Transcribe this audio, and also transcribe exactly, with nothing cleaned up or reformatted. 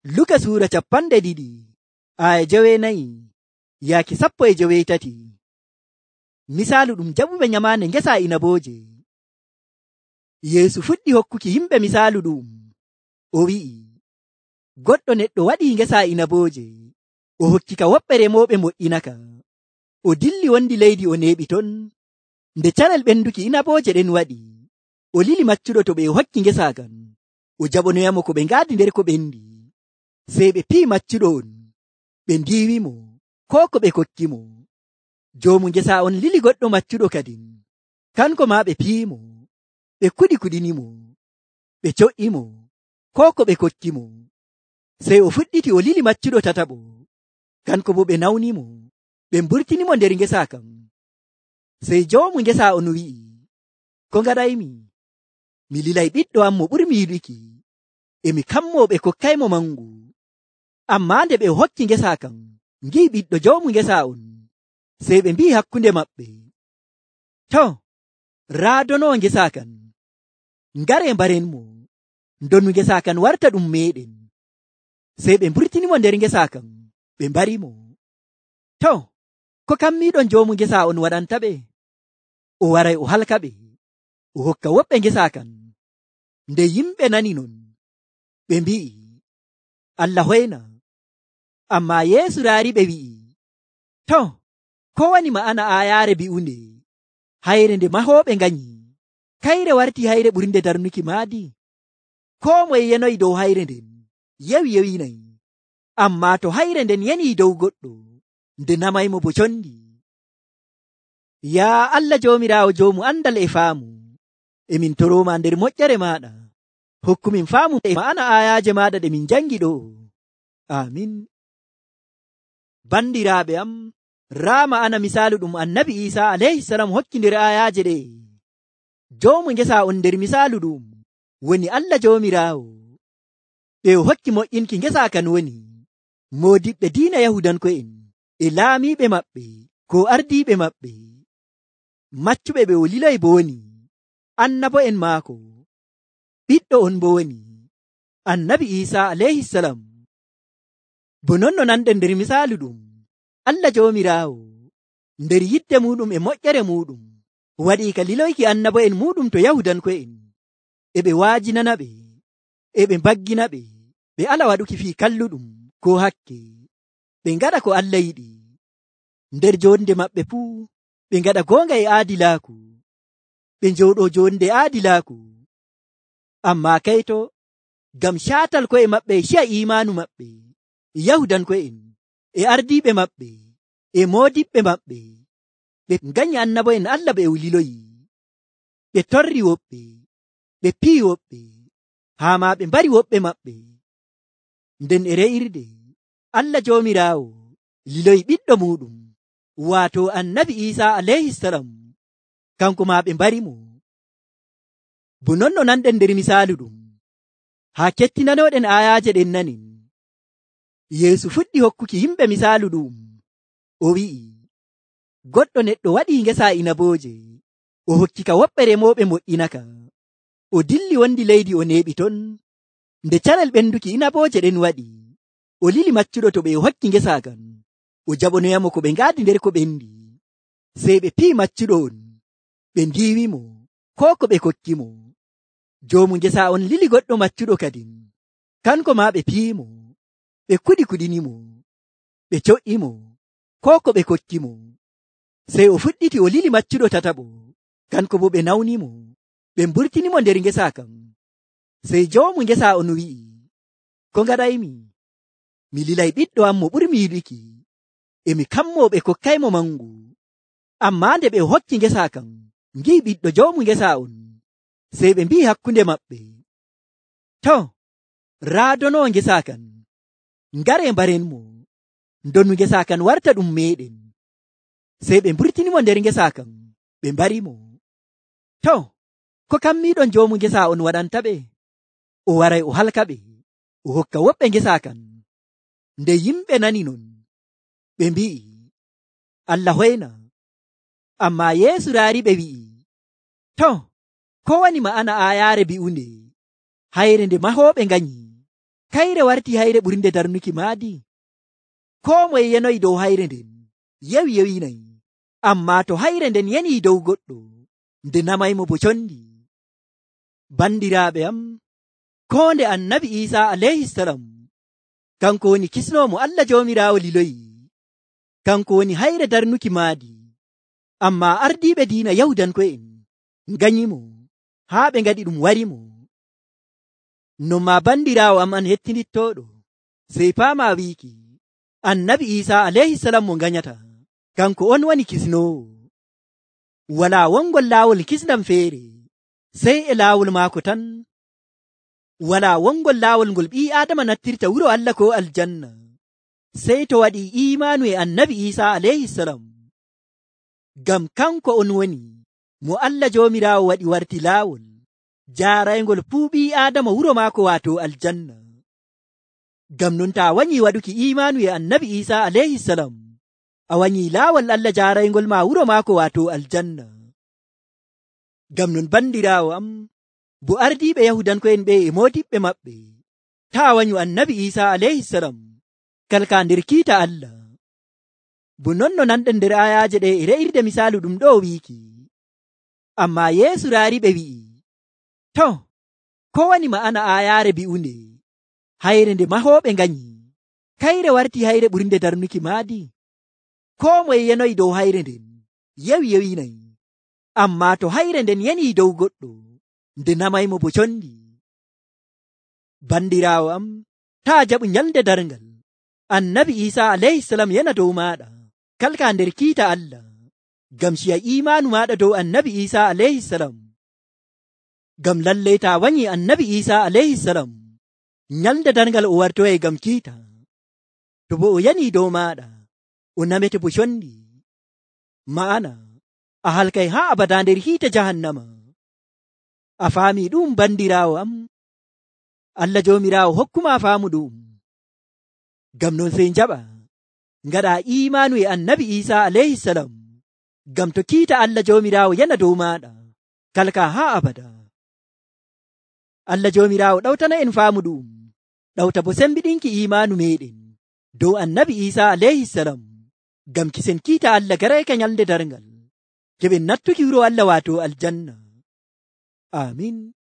Luka suura capanɗe ɗiɗi aya jeweenayi yaaki sappo e jeweetati. Misaalu ɗum jaɓuɓe nyamaande ngesa inabooje. Yeesu fuɗɗi hokkuki yimɓe misaalu ɗum. O wi'i, goɗɗo neɗɗo waɗii ngesa inabooje. O hokkika woɓɓe remooɓe moƴƴinaka. O dilli wondi leydi o neeɓi ton. Nde carel ɓenduki inabooje ɗen waɗi, o lili maccuɗo to ɓe o hokki ngesa kan. O jaɓonoyamo ko ɓe ngaadi nder ko ɓendi. Sey ɓe pii maccuɗo on, ɓe ndiiwimo koo ko ɓe kokkimo. Joomu ngesa on lili goɗɗo maccuɗo kadin. Kanko maa ɓe piimo, ɓe kuɗi kuɗinimo, ɓe co'imo koo ko ɓe kokkimo. Sey o fuɗɗiti o lili maccuɗo tataɓo. Kanko bo ɓe nawnimo, ɓe mburtinimo nder ngesa kan. Sey joomu ngesa on wi'i, ko ngaɗaymi? Mi lilay ɓiɗɗo am mo ɓurmi yiɗuki, e mi kammoo ɓe kokkaymo mangu. Ammaa nde ɓe o hokki ngesa kan, ngi'i ɓiɗɗo joomu ngesa on. Sey ɓe mbi'i hakkunde maɓɓe, to, raadonowo ngesa kan, ngaree mbarenmo, ndonu ngesa kan warta ɗum meeɗen. Sey ɓe mburtinimo nder ngesa kan, ɓe mbarimo. To, ko kammiiɗon joomu ngesa on waɗanta ɓe? O waray o halka ɓe, o hokka woɓɓe ngesa kan. Nde yimɓe nani non, ɓe mbi'i, Allah hoyna. Ammaa Yeesu raari ɓe wi'i, to, ko wani ma'ana aayaare bi'unde? Hayre nde mahooɓe nganyi, kayre warti hayre ɓurnde darnuki maadi. Koo moye yenoyi dow hayre nden, yewi yewinayi. Ammaa to hayre nden yenii dow goɗɗo, nde namaymo bo condi. Yaa Allah Joomiraawo joomu andal e faamu, emin torooma nder moƴƴere maaɗa. Hokkumin faamu e ma'ana aayaaje maaɗa ɗe min jangi ɗo. Amin. Bandiraaɓe am, raa ma'ana misaalu ɗum annabi Iisa alayhi salam hokki nder aayaaje ɗe. Joomu ngesa on nder misaalu ɗum woni Allah Joomiraawo. Ɓe o hokki moƴƴinki ngesa kan woni moodiɓɓe diina Yahudanko'en e laamiiɓe maɓɓe ko ardiiɓe maɓɓe. Maccuɓe ɓe o liloyi bo woni annabo'en maako. Ɓiɗɗo on bo woni annabi Iisa alayhi salam. Bo non no nanɗen nder misaalu ɗum, Allah Joomiraawo nder yidde muɗum e moƴƴere muɗum waɗii ka liloyki annabo'en muɗum to Yahudanko'en, e ɓe waajinana ɓe, e ɓe mbaggina ɓe, ɓe ala waɗuki fii kalluɗum ko hakke, ɓe ngaɗa ko Allah yiɗi. Nder jonde maɓɓe fuu ɓe ngaɗa goonga e aadilaaku, ɓe njooɗo jonde aadilaaku. Ammaa kayto, ngam caatal ko'e maɓɓe e ciya imaanu maɓɓe, Yahudanko'en e ardiiɓe maɓɓe e moodiɓɓe maɓɓe, ɓe nganyi annabo'en Allah ɓe o liloyi. Ɓe torri woɓɓe, ɓe pii woɓɓe, haa ma ɓe mbari woɓɓe maɓɓe. Nden e re'irde, Allah Joomiraawo liloyi ɓiɗɗo muɗum, waato annabi Iisa alayhi salam. Kanko ma ɓe mbarimo. Bo non no nanɗen nder misaalu ɗum, haa kettinanoɗen aayaaje ɗen nanin. Yeesu fuɗɗi hokkuki yimɓe misaalu ɗum. O wi'i, goɗɗo neɗɗo waɗii ngesa inabooje. O hokkika woɓɓe remooɓe moƴƴinaka. O dilli wondi leydi o neeɓi ton. Nde carel ɓenduki inabooje ɗen waɗi, o lili maccuɗo to ɓe o hokki ngesa kan. O jaɓonoyamo ko ɓe ngaadi nder ko ɓendi. Sey ɓe pii maccuɗo on, ɓe ndiiwimo koo ko ɓe kokkimo. Joomu ngesa on lili goɗɗo maccuɗo kadin. Kanko maa ɓe piimo, ɓe kuɗi kuɗinimo, ɓe co'imo koo ko ɓe kokkimo. Sey o fuɗɗiti o lili maccuɗo tataɓo. Kanko bo ɓe nawnimo, ɓe mburtinimo nder ngesa kan. Sey joomu ngesa on wi'i, ko ngaɗaymi? Mi lilay ɓiɗɗo am mo ɓurmi yiɗuki, e mi kammoo ɓe kokkaymo mangu. Ammaa nde ɓe o hokki ngesa kan, ngi'i ɓiɗɗo joomu ngesa on. Sey ɓe mbi'i hakkunde maɓɓe, to, raadonowo ngesa kan, ngaree mbarenmo, ndonu ngesa kan warta ɗum meeɗen. Sey ɓe mburtinimo nder ngesa kan, ɓe mbarimo. To, ko kammiiɗon joomu ngesa on waɗanta ɓe? O waray o halka ɓe, o hokka woɓɓe ngesa kan. Nde yimɓe nani non, ɓe mbi'i, Allah hoyna. Ammaa Yeesu raari ɓe wi'i, to, ko wani ma'ana aayaare bi'unde? Hayre nde mahooɓe nganyi, kayre warti hayre ɓurnde darnuki maadi. Koo moye yenoyi dow hayre nden yewi yewinayi, ammaa to hayre nden yeni dow goɗɗo nde namaymo bo condi. Bandiraaɓe am, koo nde annabi Iisa alayhisalam kanko woni kisnoomo Allah Joomiraawo liloyi, kanko woni hayre darnuki maadi, ammaa ardiiɓe diina Yahudanko'en nganyimo haa ɓe ngaɗi ɗum warimo. Non maa bandiraawo am an hettinittooɗo, sey paama wiiki annabi Iisa alayhisalam mo nganyata kanko on woni kisnoowo. Walaa wongol laawol kisnam feere sey e laawol maako tan. Walaa wongol laawol ngol ɓii Aadama nattirta wuro Allah ko aljanna sey to waɗi iimaanu e annabi Iisa alayhisalam. Ngam kanko on woni mo Allah Joomiraawo waɗi warti laawol jaaraygol fuu ɓii Aadama wuro maako waato aljanna. Ngam non taa wanyii waɗuki iimaanu e annabi Iisa alayhisalam, a wanyii laawol Allah jaaraygol ma wuro maako waato aljanna. Ngam non bandiraawo am, bo ardiiɓe Yahudanko'en ɓe e moodiɓɓe maɓɓe taa wanyu annabi Iisa alayhisalam kalka nder kiita Allah. Bo non no nanɗen nder ayaaje ɗe e re'irde misaalu ɗum ɗo wiiki. Ammaa Yeesu raari ɓe wi'i, to, ko wani ma'ana aayaare bi'unde hayre nde mahooɓe nganyi, kayre warti hayre ɓurnde darnuki maadi. Koo moye yenoyi dow hayre nden yewi yewinayi, ammaa to hayre nden yeni dow goɗɗo nde namaymo bo condi. Bandiraawo am, taa jaɓu nyalde darngal annabi Iisa alayhisalam yana dow maaɗa kalka nder kiita Allah, ngam ciya iimaanu maaɗa dow annabi Iisa alayhisalam. Ngam lallay taa wanyi annabi Iisa alayhisalam nyalde darngal o wartoyay ngam kiita, to bo o yani dow maaɗa o namete bo condi, ma'ana a halkay haa abada nder hiite jahannama. A faami ɗum bandiraawo am? Allah Joomiraawo hokkuma faamu ɗum. Ngam non sey njaɓa ngaɗa iimaanu e annabi Iisa alayhisalam, ngam to kiita Allah Joomiraawo yana dow maaɗa kalka haa abada. Allah Joomiraawo ɗawtana en faamu ɗum, ɗawta bo sembiɗinki iimaanu meɗen dow annabi Iisa alayhisalam, ngam kisen kiita Allah garayka nyalde darngal keɓen nattuki wuro Allah waato aljanna. Amin.